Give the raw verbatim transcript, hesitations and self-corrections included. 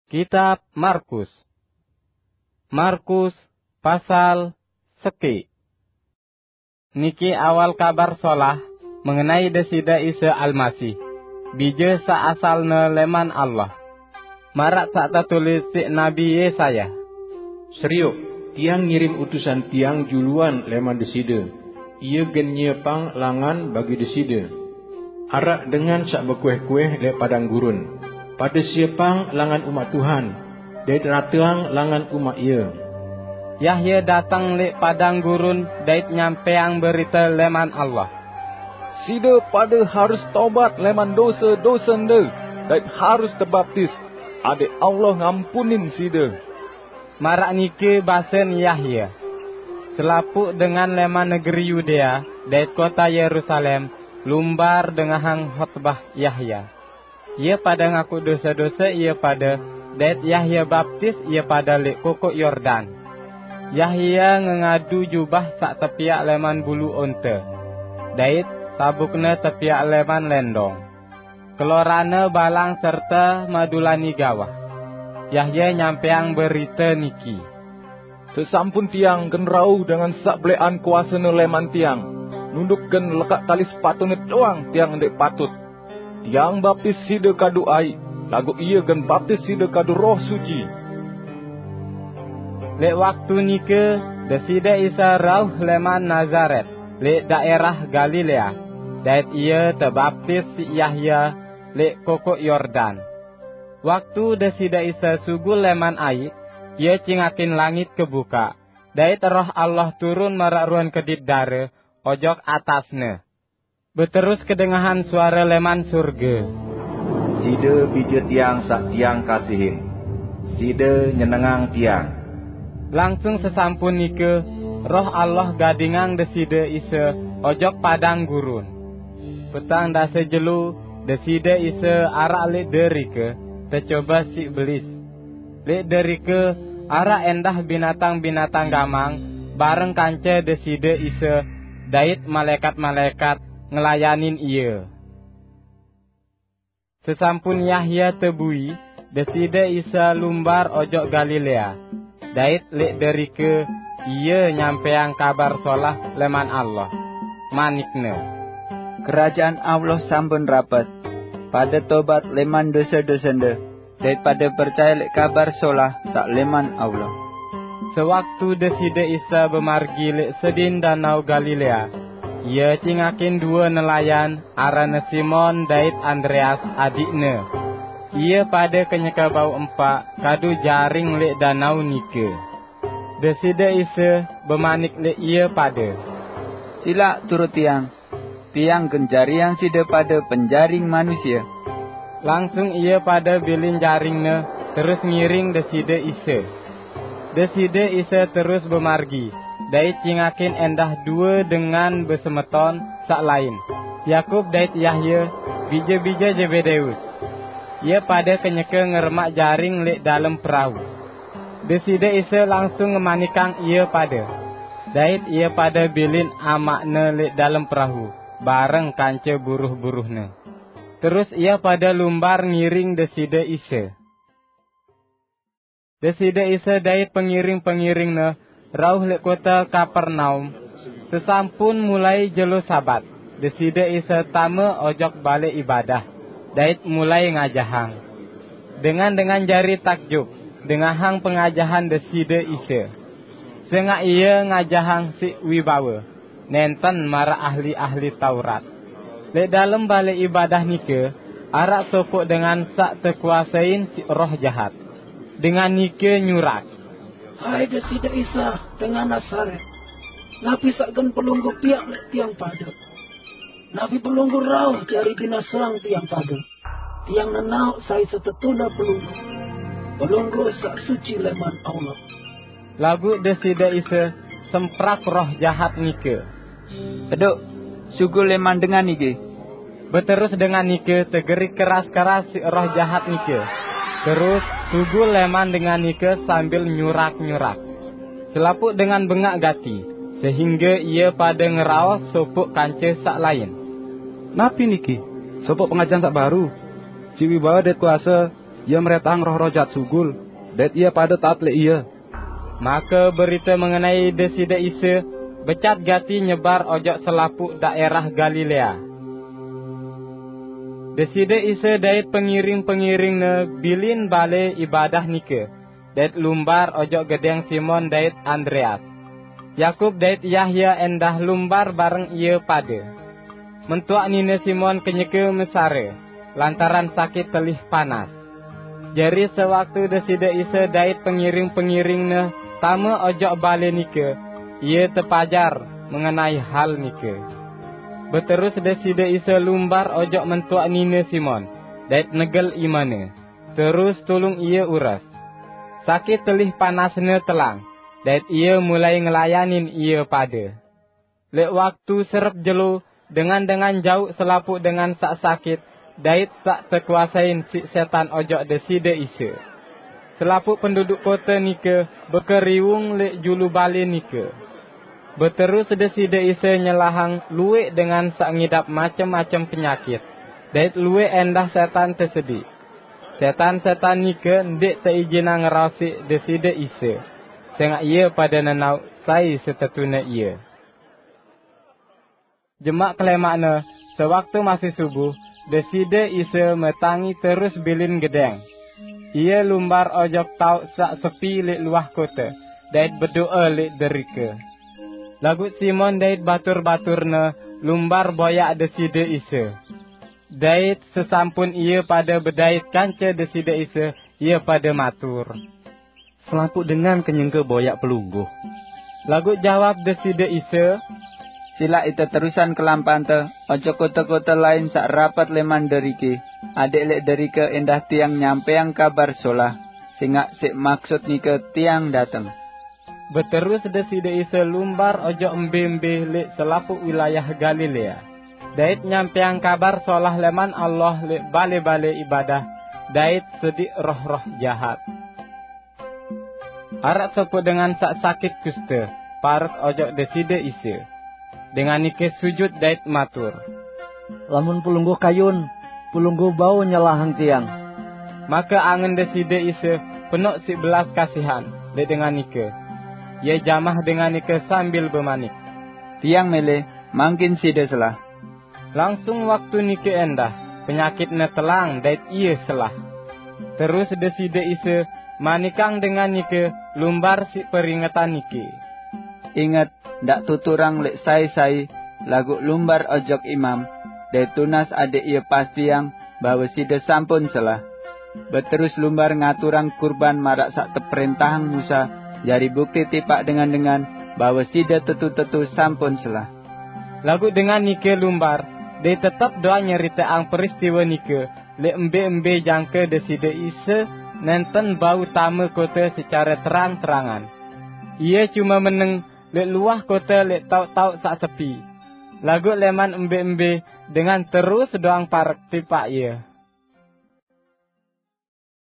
Kitab Markus. Markus pasal seki. Niki awal Kabar Solah mengenai Deside Isa Almasih, Bija saq asalne leman Allah. Maraq saq tetulis siq Nabi Yesaya. "Seriuk, Tiang ngirim utusan Tiang juluan leman Deside. Ie gen nyiepang langan bagi Deside. Araq dengan saq bekueh-kueh leq padang gurun, 'Pade siepang langan umaq Tuhan, dait rateang langan umaq Ie.'" Yahya dateng leq padang gurun dait nyampeang berite leman Allah. "Side pade harus tobat leman dose-dosende dait harus tebaptis, adaq Allah ngampunin side." Maraq nike basen Yahya. Selapuq dengan leman negeri Yudea dait kota Yerusalem lumbar dengahang hotbah Yahya. Ie pade ngaku dose-dose ie pade, dait Yahya baptis ie pade leq Kokoq Yordan. Yahya ngengadu jubah saq tepiaq leman bulu onte, dait sabukne tepiaq leman lendong. Kelorane balang serte madulani gawah. Yahya nyampeang berite niki. "Sesampun Tiang gen rauh dengan saq beleqan kuasene leman Tiang, nunduk gen lekaq tali sepatune doang Tiang ndeq patut. Tiang baptis side kadu aiq, laguq Ie gen baptis side kadu Roh Suci." Leq waktu nike Deside Isa rauh leman Nazaret, leq daerah Galilea, dait Ie tebaptis siq Yahya leq Kokoq Yordan. Waktu Deside Isa sugul leman aiq, Ie cingakin langit kebukaq, dait Roh Allah turun maraq ruen kedit dare ojok atas-Ne. Beterus kedengahan suare leman surge, "Side Bije Tiang saq Tiang kasihin. Side nyenengang Tiang." Langsung sesampun nike, Roh Allah gadingang Deside Isa ojok padang gurun. Petang dase jelo, Deside Isa araq leq derike, tecobe siq belis. Leq derike araq endah binatang-binatang gamang bareng kance Deside Isa dait malaekat-malaekat ngelayanin Ie. Sesampun Yahya tebui, Deside Isa lumbar ojok Galilea, dait leq derike Ie nyampeang Kabar Solah leman Allah. Manik-Ne, "Kerajaan Allah sampun rapet. Pade tobat leman dose-dosende, dait pade percaye leq Kabar Solah saq leman Allah." Sewaktu Deside Isa bemargi leq sedin Danau Galilea, Ie cingakin due nelayan, aranne Simon dait Andreas adiqne. Ie pade kenyeke bau empaq kadu jaring leq danau nike. Deside Isa bemanik leq ie pade, "Silaq turut Tiang. Tiang gen jariang side pade penjaring manusie." Langsung ie pade bilin jaringne, terus ngiring Deside Isa. Deside Isa terus bemargi, dait cingakin endah due dengan besemeton saq lain, Yakub dait Yahya, bije-bije Zebedeus. Ie pade kenyeke ngeremaq jaring leq dalem perau. Deside Isa langsung ngemanikang ie pade, dait ie pade bilin amaq-Ne leq dalem perau, bareng kance buruh-buruh-Ne. Terus ie pade lumbar ngiring Deside Isa. Deside Isa dait pengiring-pengiring-Ne rauh leq kote Kapernaum. Sesampun mulai jelo Sabat, Deside Isa tame ojok balai ibadah, dait mulai ngajahang. Dengan-dengan jari takjub dengahang pengajahan Deside Isa, sengaq Ie ngajahang siq wibawe, nenten maraq ahli-ahli Taurat. Leq dalem balai ibadah nike araq sopoq dengan saq tekuasein siq roh jahat. Dengan nike nyurak, "Hai Deside Isa dengan Nazaret, napi saq gen Pelungguh piaq leq tiang pade? Napi Pelungguh rauh jari binaseang tiang pade? Tiang nenaoq sai setetune Pelungguh, Pelungguh saq suci leman Allah." Laguq Deside Isa semprak roh jahat nike, "Teduq, sugul leman dengan niki!" Beterus dengan nike tegerik keras-keras siq roh jahat nike, terus sugul leman dengan nike sambil nyurak-nyurak. Selapuq dengan bengaq gati, sehingge ie pade ngeraos sopoq kance saq lain, "Napi niki? Sopoq pengajahan saq baru! Siq wibawe dait kuase Ia meretang roh-roh jat sugul, dait ia pada taat lek ia. Maka berita mengenai Deside Isa becat gati nyebar ojok selapuq daerah Galilea. Deside Isa dait pengiring-pengiring-Ne bilin bale ibadah nike, dait lumbar ojok gedeng Simon dait Andreas. Yakub dait Yahya endah lumbar bareng ia pada. Mentuak nine Simon kenyeke mesare, lantaran sakit telih panas. Jari sewaktu Deside Isa dait pengiring-pengiring-Ne tame ojok bale nike, Ia tepajar mengenai hal nike. Beterus Deside Isa lumbar ojok mentuak nine Simon, dait negel imane, terus tulung ia ures. Sakit telih panasne telang, dait ia mulai ngelayanin ia pada. Lek waktu serep jelo, dengan-dengan jauq selapuq dengan saq sakit, dait saq tekuasain siq setan ojok Deside Isa. Selapuq penduduk kote nike bekeriwung lek julu bale nike. Beterus Deside Isa nyelahang lueq dengan saq ngidap macem-macem penyakit, dait lueq endah setan tesediq. Setan-setan nike ndeq teijinang ngeraosiq Deside Isa, sengaq ie pada nenauq sai setetune Ie. Jemaq kelemaqne, sewaktu masih subuh, Deside Isa metangi terus bilin gedeng. Ie lumbar ojok taoq saq sepi lek luah kote, dait bedoe lek derike. Laguq Simon dait batur-baturne lumbar boyaq Deside Isa. Dait sesampun ie pada bedait kance Deside Isa, ie pada matur, "Selapuq dengan kenyeke boyaq Pelungguh." Laguq jawab Deside Isa, "Silaq ite terusan kelampante ojok kote-kote lain saq rapet leman deriki, adeq lek derike endah Tiang nyampeang Kabar Solah, sengaq siq maksut nike Tiang dateng." Beterus Deside Isa lumbar ojok embe-embe lek selapuq wilayah Galilea, dait nyampeang Kabar Solah leman Allah lek bale-bale ibadah, dait sediq roh-roh jahat. Araq sopoq dengan saq sakit kuste parek ojok Deside Isa. Dengan nike sujut dait matur, "Lamun Pelungguh kayun, Pelungguh bau nyelahang tiang." Make angen Deside Isa penoq siq belas kasihan lek dengan nike. Ie jamah dengan nike sambil bemanik, "Tiang mele, mangkin side selah." Langsung waktu nike endah, penyakitne telang dait ie selah. Terus Deside Isa manikang dengan nike lumbar siq peringetan nike, "Inget, ndaq tuturang lek sai-sai, laguq lumbar ojok imam, dait tunas adeq ie pastiang bahwe side sampun selah." Beterus lumbar ngaturang kurban maraq saq teprentahang Musa, jari bukti tipaq dengan-dengan bahwe side tetu-tetu sampun selah. Laguq dengan nike lumbar, dait tetep doang nyeriteang peristiwe nike lek embe-embe jangke Deside Isa nenten bau tame kote secare terang-terangan. Ie cume meneng lek luah kote lek taoq-taoq saq sepi. Laguq leman embe-embe dengan terus doang parek tipaq Ie.